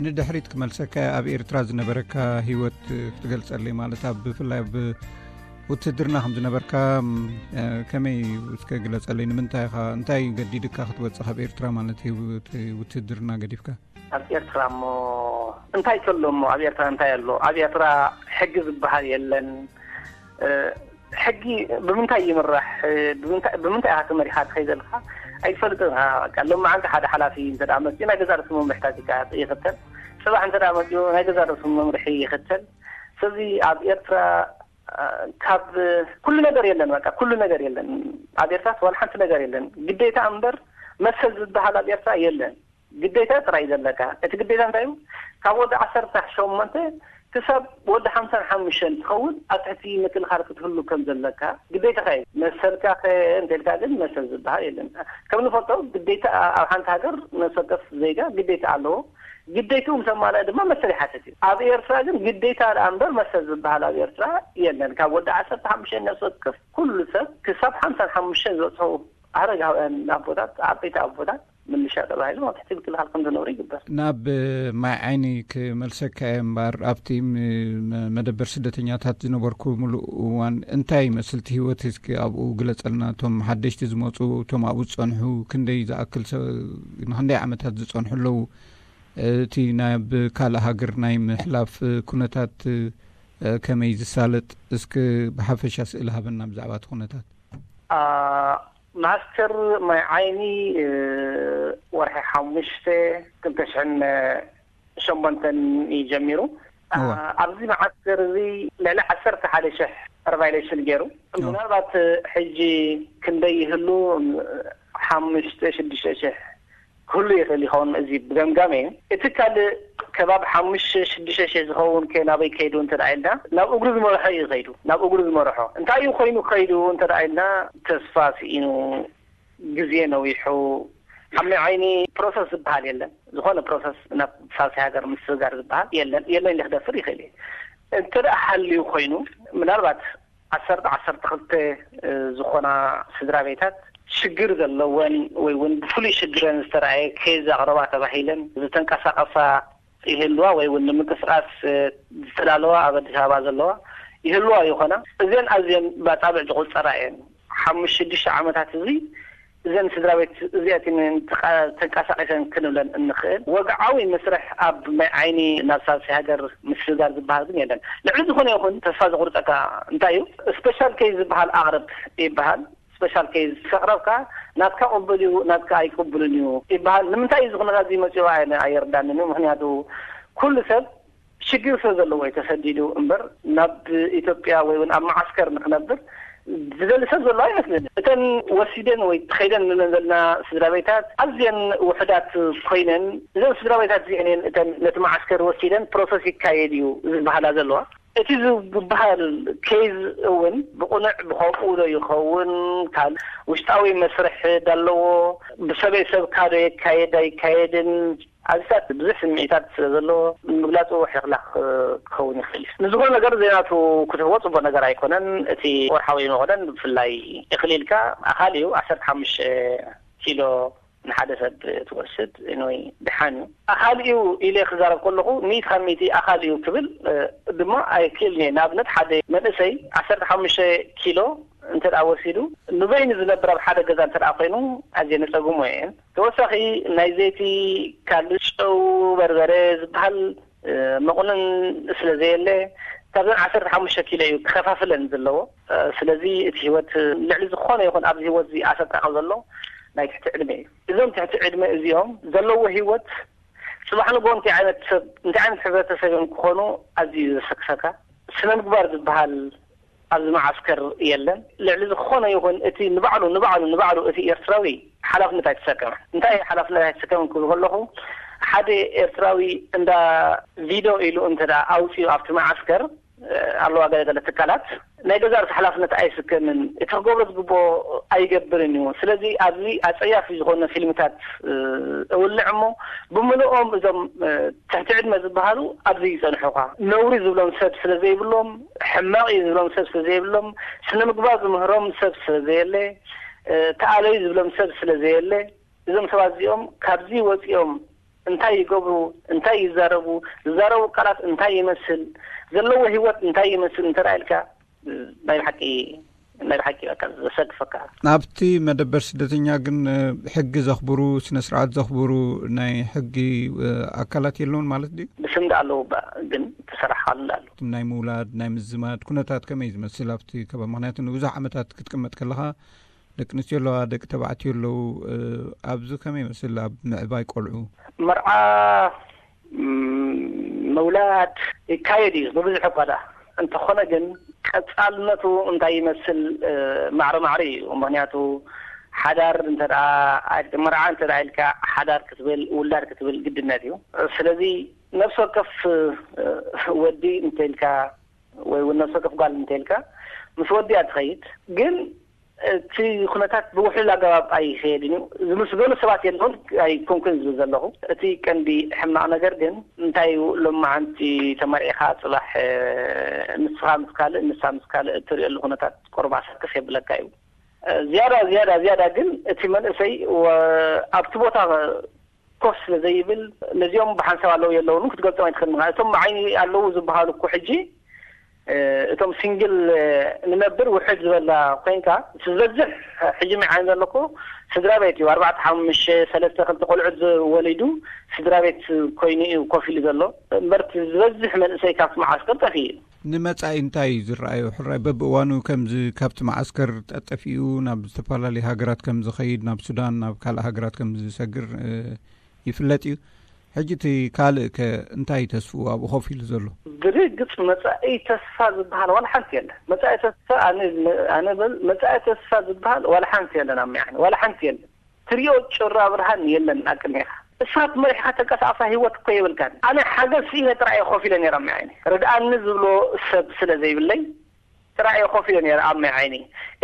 ንድሕሪት ክመልሰካ፣ ኣብ ኤርትራ ዝነበረካ ህይወት ክትገልጸለይ፣ ማለት ኣብ፣ ብፍላይ ኣብ ውትድርና ከም ዝነበርካ፣ ም፣ እ፣ ከመይ እስከ ግለጸለይ? ንምንታይ ኢኻ፣ እንታይ ገዲድካ ክትወጽእ ካብ ኤርትራ፣ ማለት ህይወት ውትድርና ገዲፍካ? ኣብ ኤርትራ እሞ እንታይ ከሎ እሞ? ኣብ ኤርትራ እንታይ ኣሎ? ኣብ ኤርትራ ሕጊ ዝበሃል የለን። እ፣ ሕጊ ብምንታይ ይምራሕ? ብምንታይ፣ ብምንታይ ኢኻ ተመሪኻ ትኸይድ ዘለኻ? ኣይትፈልጥን ኢኻ። በቃ ሎም መዓልቲ ሓደ ሓላፊ እንተ ደኣ መጺኡ ናይ ገዛእ ርእሱ መምርሕታት ይካ-፣ ይኽተል። ጽባሕ እንተ ደኣ መጺኡ ናይ ገዛእ ርእሱ መምርሒ ይኽተል። ስለዚ ኣብ ኤርትራ፣ እ፣ ካብ ኩሉ ነገር የለን፣ በቃ ኩሉ ነገር የለን። ኣብ ኤርትራስ ዋላ ሓንቲ ነገር የለን። ግዴታ እምበር መሰል ዝበሃል ኣብ ኤርትራ የለን። ግዴታ ጥራይ ዘለካ። እቲ ግዴታ እንታይ እዩ? ካብ ወዲ ዓሰርተ ሸሞንተ ክሳብ ወዲ ሓምሳን ሓሙሽተን ትኸውን ኣብ ትሕቲ ምክልኻል ክትህሉ ከም ዘለካ ግዴታኻ እዩ። መሰልካ ከ እንተ ኢልካ ግን መሰል ዝበሃል የለን። ከም ንፈልጦ ግዴታ ኣብ ሓንቲ ሃገር ነፍሲ ወከፍ ዜጋ ግዴታ ኣለዎ። ግዴትኡ ምስ ኣማልአ ድማ መሰል ይሓትት እዩ። ኣብ ኤርትራ ግን ግዴታ ደኣ እምበር መሰል ዝበሃል ኣብ ኤርትራ የለን። ካብ ወዲ ዓሰርተ ሓሙሽተ ነፍሲ ወከፍ ኩሉ ሰብ ክሳብ ሓምሳን ሓሙሽተን ዝበጽሑ ኣረጋውያን ኣቦታት፣ ዓበይቲ ኣቦታት፣ ምልሻ ተባሂሎም ኣብ ትሕቲ ምክልኻል ከም ዝነብሩ ይግበር። ናብ ማይ ዓይኒ ክመልሰካ እየ እምበር፣ ኣብቲ ም-፣ መ-፣ መደበር ስደተኛታት ዝነበርኩምሉ እዋን እንታይ ይመስል እቲ ህይወት? እስኪ ኣብኡ ግለጸልና። እቶም ሓደሽቲ ዝመጹ፣ እቶም ኣብኡ ዝጸንሑ፣ ክንደይ ዝኣክል ሰ-፣ ንክንደይ ዓመታት ዝጸንሑ ኣለዉ? እቲ ናብ ካልእ ሃገር ናይ ምሕላፍ ኩነታት ከመይ ዝሳለጥ? እስኪ ብሓፈሻ ስእሊ ሃበና ብዛዕባ እቲ ኩነታት። ኣ፣ ማስተር ማይ ዓይኒ፣ እ፣ ወርሒ ሓሙሽተ ክልተ ሽሕን ሸሞንተን እዩ ጀሚሩ። ኣ፣ እወ። ኣብዚ መዓስከር እዚ ልዕሊ ዓሰርተ ሓደ ሽሕ ሪቫይሌሽን ገይሩ። እወ። ምናልባት ሕጂ ክንደይ ይህሉ? ሓሙሽተ ሽዱሽተ ሽሕ ክህሉ ይኽእል ይኸውን። እዚ ብገምጋም እዩ። እቲ ካልእ ከባቢ ሓሙሽተ ሽዱሽተ ሽሕ ዝኸውን ከ ናበይ ከይዱ እንተ ደኣ ኢልና፣ ናብ እግሩ ዝመርሖ እዩ ከይዱ። ናብ እግሩ ዝመርሖ እንታይ እዩ ኮይኑ ከይዱ እንተ ደኣ ኢልና፣ ተስፋ ስኢኑ፣ ግዜ ነዊሑ፣ ኣብ ማይ ዓይኒ ፕሮሰስ ዝበሃል የለን። ዝኾነ ፕሮሰስ ናብ ሳልሳይ ሃገር ምስግጋር ዝበሃል የለን። የለን ኢለ ክደፍር ይኽእል እየ። እንተ ደኣ ሃልዩ ኮይኑ፣ ምናልባት ዓሰርተ፣ ዓሰርተ ክልተ ዝኾና ስድራ ቤታት ሽግር ዘለወን ወይ እውን ብፍሉይ ሽግረን ዝተረኣየ ኬዝ ኣቕረባ ተባሂለን ዝተንቀሳቐሳ ይህልዋ ወይ እውን ንምንቅስቃስ ዝተዳለዋ ኣብ ኣዲስ ኣበባ ዘለዋ ይህልዋ ይኾና። እዘን ኣዝየን ብኣጻብዕ ዝቑጸራ እየን። ሓሙሽተ ሽዱሽተ ዓመታት እዚ እዘን ስድራ ቤት እዚኣተን ተንቀሳቒሰን ክንብለን እንኽእል ወግዓዊ መስርሕ ኣብ ማይ ዓይኒ ናብ ሳልሳይ ሃገር ምስግጋር ዝበሃል ግን የለን። ልዕሊ ዝኾነ ይኹን ተስፋ ዘቑርጸካ እንታይ እዩ? ስፔሻል ኬዝ ዝበሃል ኣቕርብ ይበሃል። ስፔሻል ኬዝ ከቕረብካ ናትካ ቅቡል እዩ፣ ናትካ ኣይቅቡልን እዩ ይበሃል። ንምንታይ እዩ እዚ ኩነታት እዚ መጺኡ ኣየ-፣ ኣይርዳንን እዩ። ምኽንያቱ ኩሉ ሰብ ሽግር ስለ ዘለዎ እዩ ተሰዲዱ እምበር ናብ ኢትዮጵያ ወይ እውን ኣብ መዓስከር ንክነብር ዝደሊ ሰብ ዘሎ ኣይመስልን። እተን ወሲደን ወይ ተኸይደን ንብለን ዘለና ስድራ ቤታት ኣዝየን ውሑዳት ኮይነን፣ እዘን ስድራ ቤታት እዚአን እየን እተን ነቲ መዓስከር ወሲደን ፕሮሰስ ይካየድ እዩ ዝበሃላ ዘለዋ። እቲ ዝበሃል ኬዝ እውን ብቕኑዕ ብኸምኡ ዶ ይኸውን? ካል-፣ ውሽጣዊ መስርሕ ዶ ኣለዎ? ብሰበይ ሰብካ ዶ የካየድ ኣይካየድን? ኣዚታት ብዙሕ ስምዒታት ስለ ዘለዎ ምግላጹ ሕኽላኽ ክኸውን ይኽእል እዩ። ንዝኾነ ነገር ዘይናቱ ክትህቦ ጽቡቕ ነገር ኣይኮነን። እቲ ወርሓዊ መኾነን ብፍላይ እኽሊልካ ኣኻሊ እዩ። ዓሰርተ ሓሙሽተ ኪሎ ንሓደ ሰብ ትወስድ ወይ ድሓን እዩ። ኣኻሊ እዩ ኢለ ክዛረብ ከለኹ፣ ሚእቲ ካብ ሚእቲ ኣኻሊ እዩ ክብል፣ እ፣ ድማ ኣይክእልን እየ። ንኣብነት ሓደ መንእሰይ ዓሰርተ ሓሙሽተ ኪሎ እንተ ደኣ ወሲዱ፣ ንበይኑ ዝነብር ኣብ ሓደ ገዛ እንተ ደኣ ኮይኑ፣ ኣዝየ ነጸግሞ እየን። ተወሳኺ ናይ ዘይቲ፣ ካልእ ጨው፣ በርበረ ዝበሃል፣ እ፣ መቑነን ስለ ዘየለ፣ ካብዘን ዓሰርተ ሓሙሽተ ኪሎ እዩ ክኸፋፍለን ዘለዎ። እ፣ ስለዚ እቲ ህይወት ልዕሊ ዝኾነ ይኹን ኣብዚ ህይወት እዚ ኣሰቃቂ ዘሎ ናይ ትሕቲ ዕድመ እዩ። እዞም ትሕቲ ዕድመ እዚኦም ዘለዎ ህይወት ጽባሕ ንግሆ እንታይ ዓይነት ሰብ፣ እንታይ ዓይነት ሕብረተሰብ እዮም ክኾኑ ኣዝዩ ዘሰክፈካ። ስነ ምግባር ዝበሃል ኣብዚ መዓስከር የለን። ልዕሊ ዝኾነ ይኹን እቲ ንባዕሉ፣ ንባዕሉ፣ ንባዕሉ እቲ ኤርትራዊ ሓላፍነት ኣይተሰከመን። እንታይ እዩ ሓላፍነት ኣይተሰከመን ክብል ከለኹ፣ ሓደ ኤርትራዊ እንዳ ቪዶ ኢሉ እንተ ደኣ ኣውጺኡ ኣብቲ መዓስከር፣ እ፣ ኣለዋ ገለ ገለ ትካላት፣ ናይ ገዛእ ርእሱ ሓላፍነት ኣይስከምን። እቲ ክገብሮ ዝግብኦ ኣይገብርን እዩ። ስለዚ ኣብዚ ኣጸያፊ ዝኾነ ፊልምታት፣ እ፣ እውልዕ እሞ፣ ብምልኦም እዞም፣ እ፣ ትሕቲ ዕድመ ዝበሃሉ ኣብዚ ይጸንሑኻ። ነውሪ ዝብሎም ሰብ ስለ ዘይብሎም፣ ሕማቕ እዩ ዝብሎም ሰብ ስለ ዘይብሎም፣ ስነ ምግባር ዝምህሮም ሰብ ስለ ዘየለ፣ እ፣ ተኣለዩ ዝብሎም ሰብ ስለ ዘየለ፣ እዞም ሰባት እዚኦም ካብዚ ወጺኦም እንታይ ይገብሩ፣ እንታይ ይዛረቡ፣ ዝዛረቡ ቃላት እንታይ ይመስል፣ ዘለዎ ህይወት እንታይ ይመስል እንተ ኢልካ፣ ናይ ብሓቂ ናይ ብሓቂ በቃ ዘሰክፈካ። ኣብቲ መደበር ስደተኛ ግን ሕጊ ዘኽብሩ፣ ስነ ስርዓት ዘኽብሩ ናይ ሕጊ ኣካላት የለውን ማለት ድዩ? ብስም ዳ ኣለዉ፣ ግን ተሰራሕካሉ ኣሎ። ናይ ምውላድ፣ ናይ ምዝማድ ኩነታት ከመይ ዝመስል ኣብቲ ከባቢ? ምክንያቱ ንብዙሕ ዓመታት ክትቅመጥ ከለኻ ደቂ ኣንስትዮ ኣለዋ፣ ደቂ ተባዕትዮ ኣለዉ። ኣብዚ ከመይ ይመስል ኣብ ምዕባይ ቆልዑ? መርዓ ምውላድ ይካየድ እዩ ብብዙሕ እኳ ደኣ እንተኾነ ግን ቀጻልነቱ እንታይ ይመስል? ማዕረ ማዕረ እዩ። ምክንያቱ ሓዳር እንተ መርዓ እንተ ኢልካ ሓዳር ክትብል ውላድ ክትብል ግድነት እዩ። ስለዚ ነፍሲ ወከፍ ወዲ እንተ ኢልካ ወይ እውን ነፍሲ ወከፍ ጓል እንተ ኢልካ ምስ ወዲያ ትኸይድ ግን እቲ ኩነታት ብውሕሉል ኣገባብ ኣይኸየድን እዩ። ዝምስገኑ ሰባት የለውን ኣይኮንኩን ዝብል ዘለኹ። እቲ ቀንዲ ሕማቕ ነገር ግን እንታይ እዩ፣ ሎማዓንቲ ተመርዒኻ ጽባሕ ንስኻ ምስ ካልእ ንሳ ምስ ካልእ እትርእየሉ ኩነታት ቁሩብ ኣሰክፍ የብለካ እዩ። ዝያዳ ዝያዳ ዝያዳ ግን እቲ መንእሰይ ኣብቲ ቦታ ኮፍ ስለ ዘይብል ነዚኦም ብሓንሳብ ኣለዉ የለውን ክትገልጾም ኣይትኽእልን። እቶም ብዓይኒ ኣለዉ ዝበሃሉ እኮ ሕጂ እቶም ሲንግል ንነብር ውሕድ ዝበላ ኮይንካ ዝበዝሕ ሕጂ መዓን ዘለኩ ስድራ ቤት እዩ። ኣርባዕተ ሓሙሽተ ሰለስተ ክልተ ቆልዑት ወሊዱ ስድራ ቤት ኮይኑ እዩ ኮፍ ኢሉ ዘሎ። እምበርቲ ዝበዝሕ መንእሰይ ካብቲ መዓስከር ጠፊኡ እዩ። ንመጻኢ እንታይ እዩ ዝረኣዩ? ሕራይ በብእዋኑ ከምዚ ካብቲ መዓስከር ጠጠፊኡ ናብ ዝተፈላለዩ ሃገራት ከም ዝኸይድ፣ ናብ ሱዳን፣ ናብ ካልእ ሃገራት ከም ዝሰግር ይፍለጥ እዩ። ሕጂ እቲ ካልእ ከ እንታይ ተስፍኡ ኣብኡ ኮፍ ኢሉ ዘሎ? ብርግጽ መጻኢ ተስፋ ዝበሃል ዋላ ሓንቲ የለን። መጻኢ ተስፋ ኣነ ኣነ በል መጻኢ ተስፋ ዝበሃል ዋላ ሓንቲ የለን። ኣብ መዓኒ ዋላ ሓንቲ የለን። ትሪኦ ጭራ ብርሃን የለን ኣብ ቅድሜኻ። እሳት መሪሕካ ተንቀሳቐሳ ህይወት እኮ የብልካን። ኣነ ሓገዝ ስኢነ ጥራይ እየ ኮፍ ኢለ ነይረ ኣብ መዓኒ። ርድኣኒ ዝብሎ ሰብ ስለ ዘይብለይ ጥራይ እየ ኮፍ ኢለ ነይረ ኣብ ማይ ዓይኒ።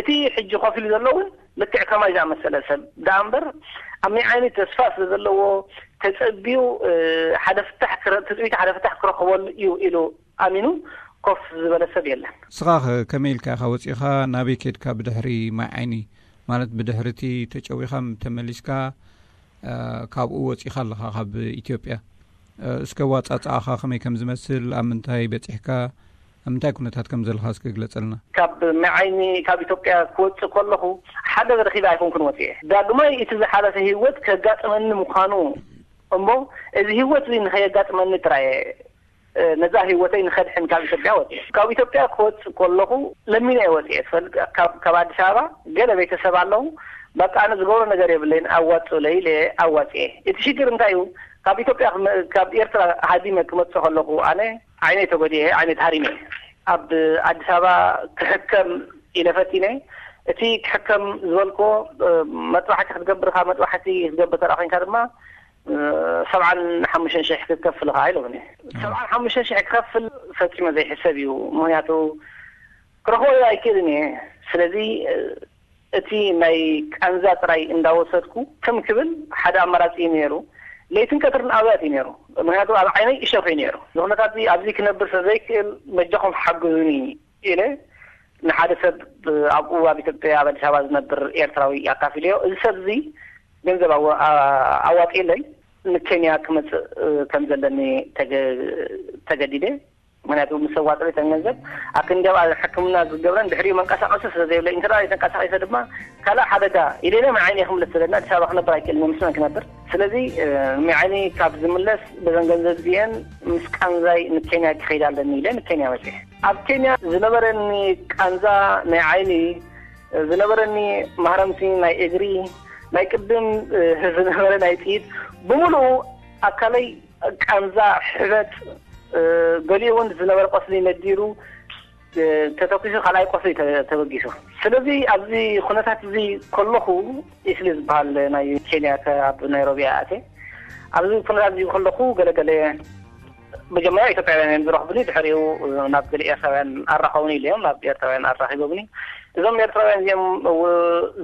እቲ ሕጂ ኮፍ ኢሉ ዘሎ እውን ልክዕ ከማይ ዝኣመሰለ ሰብ ደኣ እምበር ኣብ ማይ ዓይኒ ተስፋ ስለ ዘለዎ ተጸቢዩ ሓደ ፍታሕ ትጽቢት ሓደ ፍታሕ ክረኽበሉ እዩ ኢሉ ኣሚኑ ኮፍ ዝበለ ሰብ የለን። ንስኻ ከ ከመይ ኢልካ ኢኻ ወጺኻ ናበይ ከድካ ብድሕሪ ማይ ዓይኒ ማለት ብድሕሪ እቲ ተጨዊኻ ተመሊስካ ካብኡ ወጺኻ ኣለኻ ካብ ኢትዮጵያ። እስከ ዋጻጻኣኻ ከመይ ከም ዝመስል፣ ኣብ ምንታይ በጺሕካ፣ ኣብ ምንታይ ኩነታት ከም ዘለኻ እስከ ግለጸልና። ካብ መዓይኒ ካብ ኢትዮጵያ ክወጽእ ከለኹ ሓደ ረኺበ ኣይኮንኩን ወጽኤ። ዳግማይ እቲ ዝሓለፈ ህይወት ከጋጥመኒ ምዃኑ እሞ እዚ ህይወት እዚ ንኸየጋጥመኒ ጥራየ ነዛ ህይወተይ ንኸድሕን ካብ ኢትዮጵያ ወፅኤ። ካብ ኢትዮጵያ ክወፅእ ከለኹ ለሚነ እየ ወፅኤ። ትፈልጥ ካብ ኣዲስ ኣበባ ገለ ቤተሰብ ኣለዉ። በቃ ኣነ ዝገብሮ ነገር የብለይን ኣዋፅኡለይ ኢለ ኣዋፅኤ። እቲ ሽግር እንታይ እዩ? ካብ ኢትዮጵያ ካብ ኤርትራ ሃዲመ ክመፅእ ከለኹ ኣነ ዓይነይ ተጎዲኤ፣ ዓይነይ ተሃሪመ። ኣብ ኣዲስ ኣበባ ክሕከም ኢለ ፈቲነ። እቲ ክሕከም ዝበልኮ መጥባሕቲ ክትገብር ካብ መጥባሕቲ ክትገብር ተደኣ ኮይንካ ድማ ሰብዓን ሓሙሽተን ሽሕ ክትከፍል ኢኻ ኢሎምኒ። ሰብዓን ሓሙሽተን ሽሕ ክኸፍል ፈጺመ ዘይሕሰብ እዩ። ምኽንያቱ ክረኽቦ ኣይክእልን እየ። ስለዚ እቲ ናይ ቃንዛ ጥራይ እንዳወሰድኩ ከም ክብል ሓደ ኣማራጺ እዩ ነይሩ። ለይትን ቀትርን ኣብያት እዩ ነይሩ። ምኽንያቱ ኣብ ዓይነይ እሸኽ እዩ ነይሩ። ንኹነታት ኣብዚ ክነብር ስለ ዘይክእል በጃኹም ሓግዙኒ ኢለ ንሓደ ሰብ ኣብኡ ኣብ ኢትዮጵያ ኣብ ኣዲስ ኣበባ ዝነብር ኤርትራዊ ኣካፊለዮ። እዚ ሰብ እዚ ገንዘብ ኣዋፂለይ ንኬንያ ክመፅእ ከም ዘለኒ ተገዲደ። ምክንያቱ ምስ ኣዋፅለይ ተን ገንዘብ ኣብ ክንዲ ኣብ ሕክምና ዝገብረን ድሕሪኡ መንቀሳቀሲ ስለ ዘይብለይ እንተ ተንቀሳቂሰ ድማ ካልእ ሓደጋ ኢለ ኢለ መዓይኒ ክምለስ ዘለና ኣዲስ ኣበባ ክነብር ኣይክእልን ምስ መን ክነብር። ስለዚ መዓይኒ ካብ ዝምለስ በዘን ገንዘብ እዚአን ምስ ቃንዛይ ንኬንያ ክኸይድ ኣለኒ ኢለ ንኬንያ መፅሐ። ኣብ ኬንያ ዝነበረኒ ቃንዛ ናይ ዓይኒ ዝነበረኒ ማህረምቲ ናይ እግሪ ናይ ቅድም ዝነበረ ናይ ጥይት ብምሉኡ ኣካለይ ቃንዛ ሕበጥ ገሊኡ እውን ዝነበረ ቆስሊ ነዲሩ ተተኪሱ ካልኣይ ቆስሊ ተበጊሱ። ስለዚ ኣብዚ ኩነታት እዚ ከለኹ ኢስሊ ዝበሃል ናይ ኬንያ ኣብ ናይሮቢ ኣተ ኣብዚ ኩነታት እዚ ከለኹ ገለገለ መጀመርያ ኢትዮጵያውያን እዮም ዝረኽቡኒ። ድሕሪኡ ናብ ገለ ኤርትራውያን ኣራኸቡኒ ኢለዮም ናብ ኤርትራውያን ኣራኺቦምኒ። እዞም ኤርትራውያን እዚኦም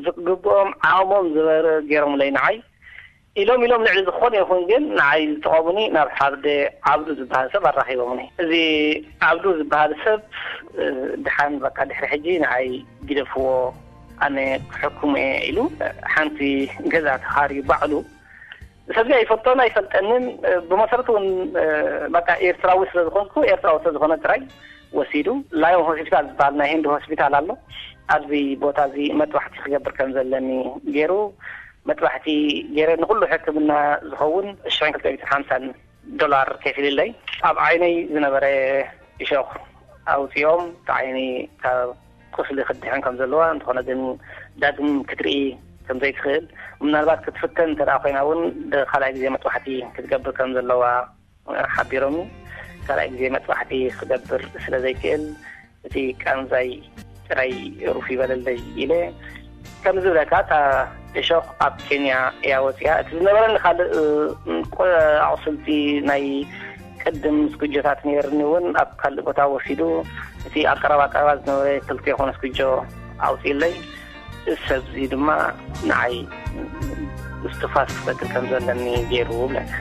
ዝግብኦም ዓቕሞም ዝበረ ገይሮምለይ ንዓይ ኢሎም ኢሎም ልዕሊ ዝኾነ ይኹን ግን ንዓይ ዝጠቐሙኒ ናብ ሓደ ዓብዱ ዝበሃል ሰብ ኣራኺቦምኒ። እዚ ዓብዱ ዝበሃል ሰብ ድሓን በቃ ድሕሪ ሕጂ ንዓይ ግደፍዎ ኣነ ክሕክሞ እየ ኢሉ ሓንቲ ገዛ ተኻርዩ ባዕሉ ሰብዚ ኣይፈልጦን ኣይፈልጠንን። ብመሰረቱ እውን በቃ ኤርትራዊ ስለዝኾንኩ፣ ኤርትራዊ ስለዝኾነ ጥራይ ወሲዱ። ላዮን ሆስፒታል ዝበሃል ናይ ህንዲ ሆስፒታል ኣሎ። ኣብዚ ቦታ እዚ መጥባሕቲ ክገብር ከም ዘለኒ ገይሩ፣ መጥባሕቲ ገይረ፣ ንኹሉ ሕክምና ዝኸውን ሽሕን ክልተ ሚእትን ሓምሳን ዶላር ከፊልለይ። ኣብ ዓይነይ ዝነበረ እሾኽ ኣውፂኦም፣ እቲ ዓይኒ ካብ ቁስሊ ክትድሕን ከም ዘለዋ፣ እንተኾነ ግን ዳግም ክትርኢ ከም ዘይትኽእል፣ ምናልባት ክትፍተን እንተ ኮይና እውን ካልኣይ ግዜ መጥባሕቲ ክትገብር ከም ዘለዋ ሓቢሮምኒ። ካልኣይ ግዜ መጥባሕቲ ክገብር ስለ ዘይክእል፣ እቲ ቃንዛይ ጥራይ ሩፍ ይበለለይ ኢለ። ከም ዝብለካ፣ እታ እሾኽ ኣብ ኬንያ እያ ወፂኣ። እቲ ዝነበረኒ ካልእ፣ እ፣ ቆ-፣ ኣቑስልቲ ናይ ቅድም ስኩጆታት ነይርኒ እውን ኣብ ካልእ ቦታ ወሲዱ፣ እቲ ኣብ ቀረባ ቀረባ ዝነበረ ክልተ ይኾነ ስኩጆ ኣውፂእለይ። እዚ ሰብዚ ድማ ንዓይ እስትንፋስ ክፈጥር ከም ዘለኒ ገይሩ ብለካ።